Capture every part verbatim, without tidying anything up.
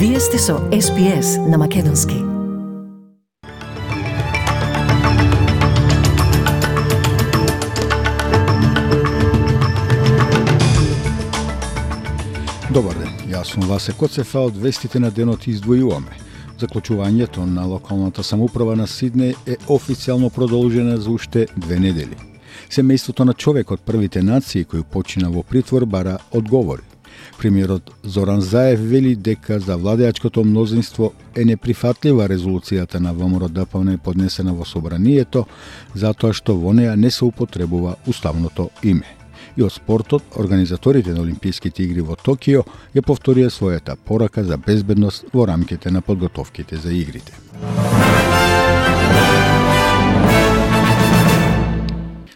Вие сте со Ес Би Ес на Македонски. Добар ден, јас сум Васе Коцефа, од вестите на денот издвојуваме. Заклучувањето на локалната самоуправа на Сиднеј е официјално продолжено за уште две недели. Семејството на човек од првите нации кој почина во притвор бара одговори. Премиерот Зоран Заев вели дека за владеачкото мнозинство е неприфатлива резолуцијата на ВМРО-ДПМН поднесена во собранието, затоа што во неа не се употребува уставното име. И од спортот, организаторите на Олимписките игри во Токио ја повторија својата порака за безбедност во рамките на подготовките за игрите.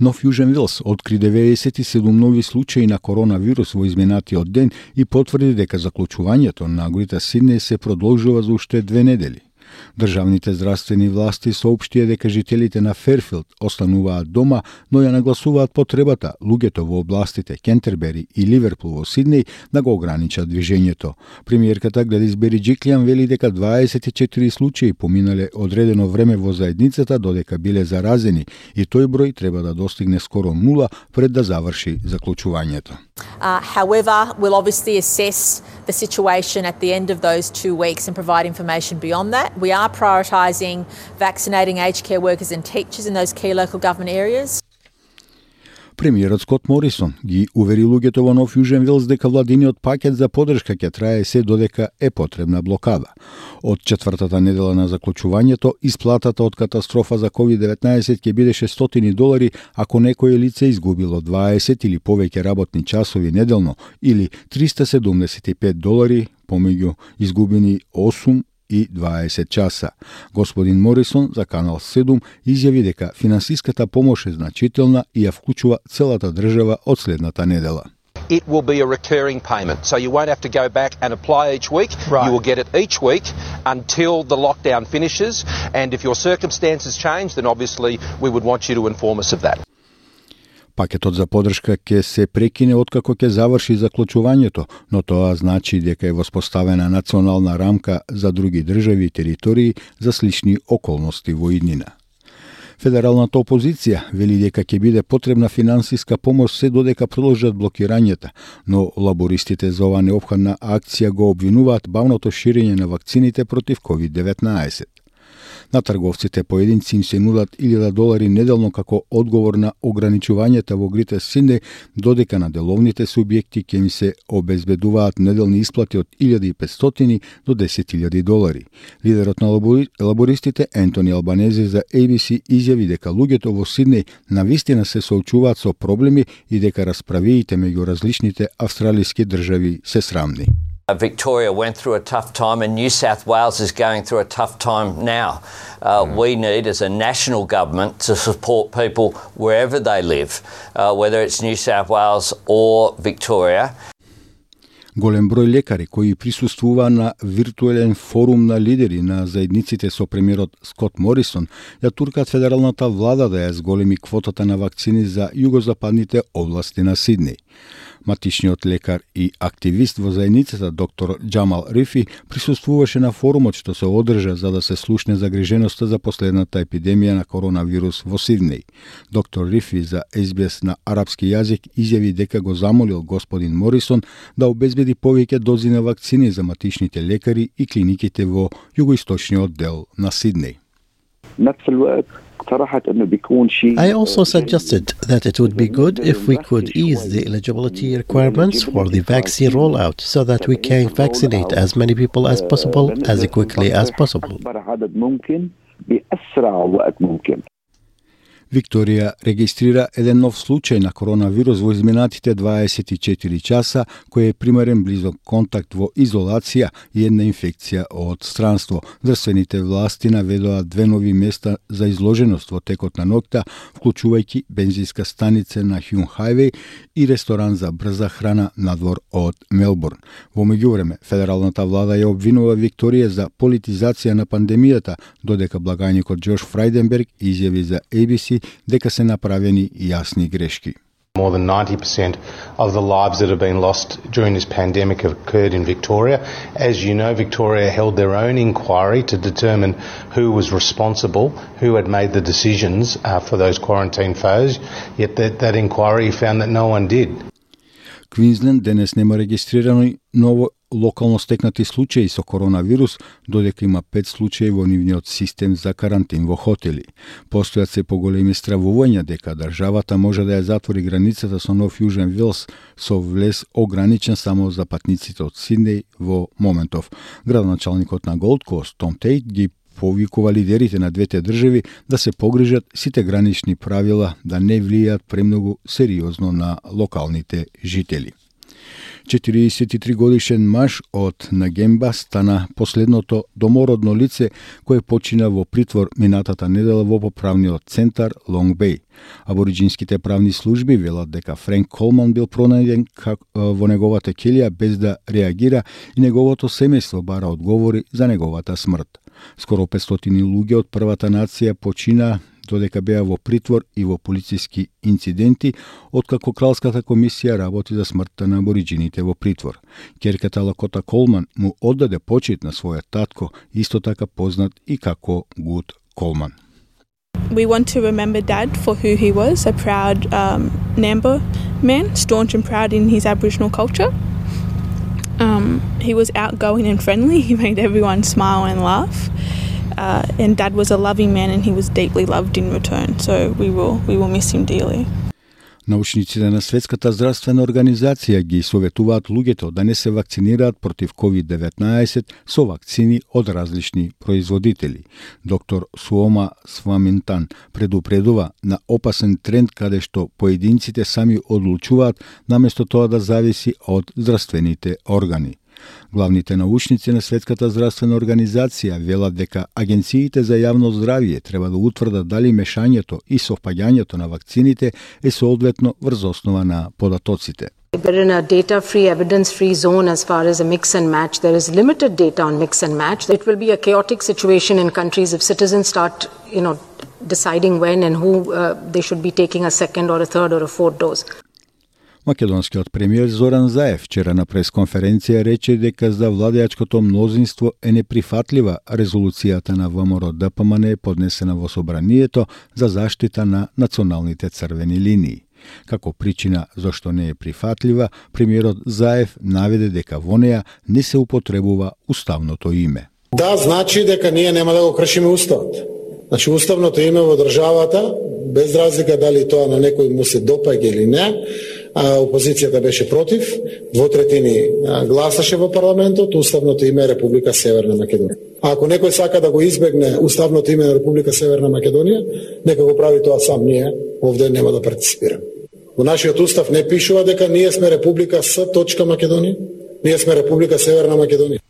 Нов Јужен Велс откри деветдесет и седум нови случаи на коронавирус во изминатиот ден и потврди дека заклучувањето на горите Сиднеј се продолжува за уште две недели. Државните здравствени власти соопштија дека жителите на Ферфилд остануваат дома, но ја нагласуваат потребата луѓето во областите Кентербери и Ливерпул во Сиднеј да го ограничат движењето. Премиерката Гледис Бериџиклијан вели дека дваесет и четири случаи поминале одредено време во заедницата додека биле заразени и тој број треба да достигне скоро нула пред да заврши заклучувањето. Uh, however, we'll obviously assess the situation at the end of those two weeks and provide information beyond that. We are prioritising vaccinating aged care workers and teachers in those key local government areas. Премиерот Скот Морисон ги увери луѓето во Нов Јужен Велс дека владиниот пакет за поддршка ќе трае се додека е потребна блокада. Од четвртата недела на заклучувањето, исплатата од катастрофа за ковид деветнаесет ќе биде шестстотини долари ако некое лице изгубило дваесет или повеќе работни часови неделно или триста седумдесет и пет долари помеѓу изгубени осум и дваесет часа. Господин Морисон за Канал седум изјави дека финансиската помош е значителна и ја вклучува целата држава од следната недела. It will be a recurring payment, so you won't have to go back and apply each week. Right. You will get it each week until the lockdown finishes, and if your circumstances change, then obviously we would want you to inform us of that. Пакетот за поддршка ќе се прекине откако ќе заврши заклучувањето, но тоа значи дека е воспоставена национална рамка за други држави и територии за слични околности во иднина. Федералната опозиција вели дека ќе биде потребна финансиска помош се додека продолжат блокирањата, но лабористите за оваа неопходна акција го обвинуваат бавното ширење на вакцините против ковид деветнаесет. На трговците поединци им се нудат илјада долари неделно како одговор на ограничувањата во грите Сиднеј, додека на деловните субјекти ќе им се обезбедуваат неделни исплати од илјада и петстотини до десет илјади долари. Лидерот на лабористите Ентони Албанези за Ей Би Си изјави дека луѓето во Сиднеј навистина се соочуваат со проблеми и дека расправиите меѓу различните австралиски држави се срамни. Victoria went through a tough time and New South Wales is going through a tough time now. Uh, mm. We need as a national government to support people wherever they live, uh, whether it's New South Wales or Victoria. Голем број лекари кои присуствува на виртуелен форум на лидери на заедниците со премиерот Скот Морисон ја туркат федералната влада да ја зголеми квотата на вакцини за југозападните области на Сиднеј. Матичниот лекар и активист во заедницата доктор Джамал Рифи присуствуваше на форумот што се одржа за да се слушне загриженоста за последната епидемија на коронавирус во Сиднеј. Доктор Рифи за Ес Би Ес на арапски јазик изјави дека го замолил господин Морисон да обезбеди повеќе дози на вакцини за матичните лекари и клиниките во југоисточниот дел на Сиднеј. I also suggested that it would be good if we could ease the eligibility requirements for the vaccine rollout so that we can vaccinate as many people as possible as quickly as possible. Викторија регистрира еден нов случај на коронавирус во изминатите дваесет и четири часа, кој е примерен близок контакт во изолација и една инфекција од странство. Државните власти наведоа две нови места за изложеност во текот на ноќта, вклучувајќи бензинска станица на Хјун Хајвеј и ресторан за брза храна надвор од Мелбурн. Во меѓувреме, федералната влада ја обвинува Викторија за политизација на пандемијата, додека благајникот Џош Фрајденберг изјави за Ей Би Си дека се направени јасни грешки. More than ninety percent of the lives that have been lost during this pandemic have occurred in Victoria. As you know, Victoria held their own inquiry to determine who was responsible, who had made the decisions uh, for those quarantine foes, yet that, that inquiry found that no one did. Квинсленд денес нема регистрирано ново локално стекнати случаи со коронавирус, додека има пет случаи во нивниот систем за карантин во хотели. Постојат се поголеми стравувања дека државата може да ја затвори границата со Нов Јужен Велс со влез ограничен само за патниците од Сиднеј во моментов. Градоначалникот на Голд Кост Том Тейт ги повикува лидерите на двете држави да се погрижат сите гранични правила да не влијаат премногу сериозно на локалните жители. четириесет и три годишен маж од Нагемба стана последното домородно лице кое почина во притвор минатата недела во поправниот центар Лонг Беј. Абориджинските правни служби велат дека Френк Колман бил пронајден во неговата келија без да реагира и неговото семејство бара одговори за неговата смрт. Скоро петстотини луѓе од првата нација почина додека беа во притвор и во полициски инциденти, откако Кралската комисија работи за смртта на абориджините во притвор. Ќерката Лакота Колман му оддаде почит на својот татко, исто така познат и како Гуд Колман. We want to remember Dad for who he was, a proud um, Nambo man, staunch and proud in his Aboriginal culture. Um, he was outgoing and friendly. He made everyone smile and laugh. Uh, and Dad was a loving man and he was deeply loved in return. So we will we will miss him dearly. Научниците на Светската здравствена организација ги советуваат луѓето да не се вакцинираат против ковид деветнаесет со вакцини од различни производители. Доктор Суома Сваминтан предупредува на опасен тренд каде што поединците сами одлучуваат наместо тоа да зависи од здравствените органи. Главните научници на Светската здравствена организација велат дека агенциите за јавно здравје треба да утврдат дали мешањето и совпаѓањето на вакцините е соодветно врз основа на податоците. We're in a data-free, evidence-free zone as far as a mix and match. There is limited data on mix and match. It will be a chaotic situation in countries if citizens start, you know, deciding when and who uh, they should be taking a second or a third or a fourth dose. Македонскиот премиер Зоран Заев вчера на пресконференција рече дека за владеачкото мнозинство е неприфатлива резолуцијата на ВМРО-ДПМН поднесена во собранието за заштита на националните црвени линии. Како причина зашто не е прифатлива, премиерот Заев наведе дека во неа не се употребува уставното име. Да, значи дека ние нема да го кршиме уставот. Значи уставното име во државата, без разлика дали тоа на некој му се допаѓа или не, а, опозицијата беше против, двотретини гласаше во парламентот, уставното име е Република Северна Македонија. А ако некој сака да го избегне уставното име на Република Северна Македонија, нека го прави тоа сам, ние овде нема да партиципираме. Во нашиот устав не пишува дека ние сме Република С. Македонија, ние сме Република Северна Македонија.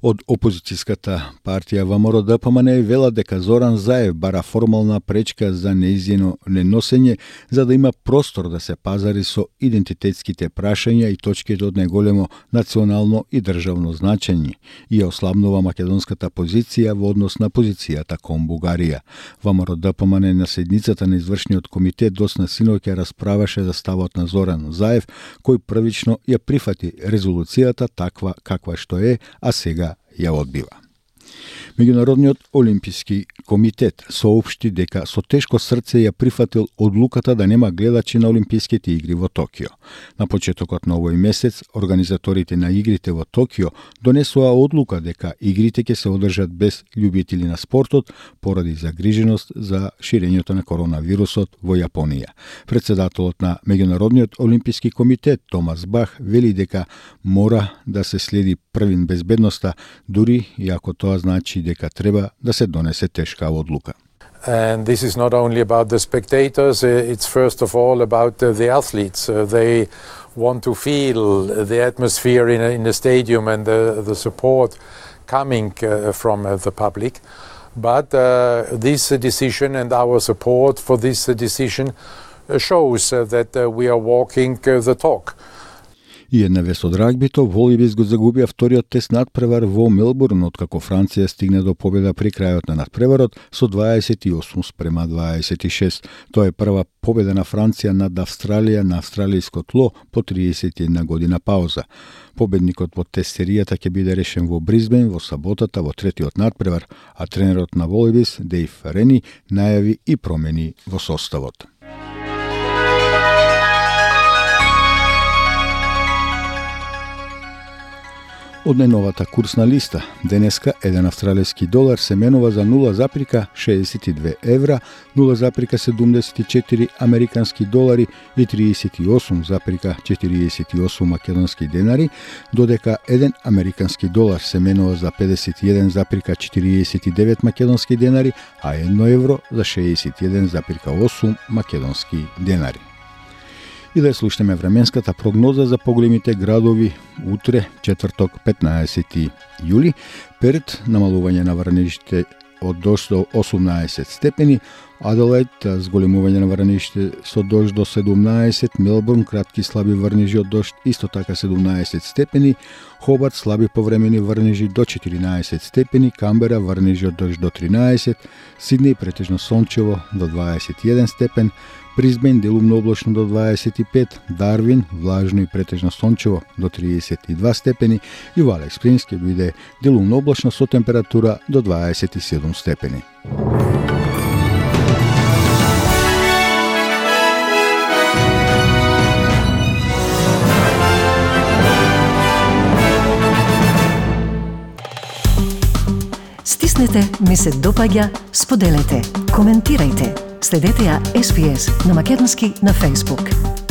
Од опозицијската партија ВМРО-ДПМН вела дека Зоран Заев бара формална пречка за неизино неносење за да има простор да се пазари со идентитетските прашања и точките од неголемо национално и државно значење и ослабнува македонската позиција во однос на позицијата кон Бугарија. ВМРО-ДПМН на седницата на извршниот комитет досна синоќа расправаше за ставот на Зоран Заев, кој првично ја прифати резолуцијата таква каква што е, а сега ја одбива. Меѓународниот олимписки комитет соопшти дека со тешко срце ја прифатил одлуката да нема гледачи на Олимписките игри во Токио. На почетокот на овој месец, организаторите на игрите во Токио донесоа одлука дека игрите ќе се одржат без љубители на спортот поради загриженост за ширењето на коронавирусот во Јапонија. Председателот на Меѓународниот олимписки комитет Томас Бах вели дека мора да се следи првин безбедноста, дури и ако тоа значи дека треба да се донесе тешка одлука. And this is not only about the spectators, it's first of all about the athletes. They want to feel the atmosphere in a, in the stadium and the, the support coming uh, from uh, the public. But uh, this decision and our support for this decision shows uh, that uh, we are walking uh, the talk. И една вест од рагбито, Волибис го загубија вториот тест надпревар во Мелбурн, откако Франција стигне до победа при крајот на надпреварот со дваесет и осум спрема дваесет и шест. Тоа е прва победа на Франција над Австралија на австралијско тло по триесет и една година пауза. Победникот во тест серијата ќе биде решен во Бризбен во саботата во третиот надпревар, а тренерот на Волибис, Дејв Рени, најави и промени во составот. Од најновата курсна листа, денеска еден австралиски долар се менува за нула запирка шеесет и две евра, нула запирка седумдесет и четири американски долари и триесет и осум запирка четириесет и осум македонски денари, додека еден американски долар се менува за педесет и еден запирка четириесет и девет македонски денари, а едно евро за шеесет и еден запирка осум македонски денари. И да слушнеме временската прогноза за поголемите градови утре, четврток, петнаесети јули, пред намалување на врнежите од дожд до осумнаесет степени, Аделаид зголемување на врнежите со дожд до седумнаесет, Мелбурн кратки слаби врнежи од дожд исто така седумнаесет степени, Хобарт слаби повремени врнежи до четиринаесет степени, Камбера врнежи од дожд до тринаесет, Сиднеј претежно сончево до дваесет и еден степен, Бризбен делумно облачно до дваесет и пет, Дарвин влажно и претежно сончево до триесет и два степени и во Алекс Спрингс ќе биде делумно облачно со температура до дваесет и седум степени. Стиснете, ми се допаѓа, споделете, коментирајте. Следете ја Ес Би Ес на македонски на Facebook.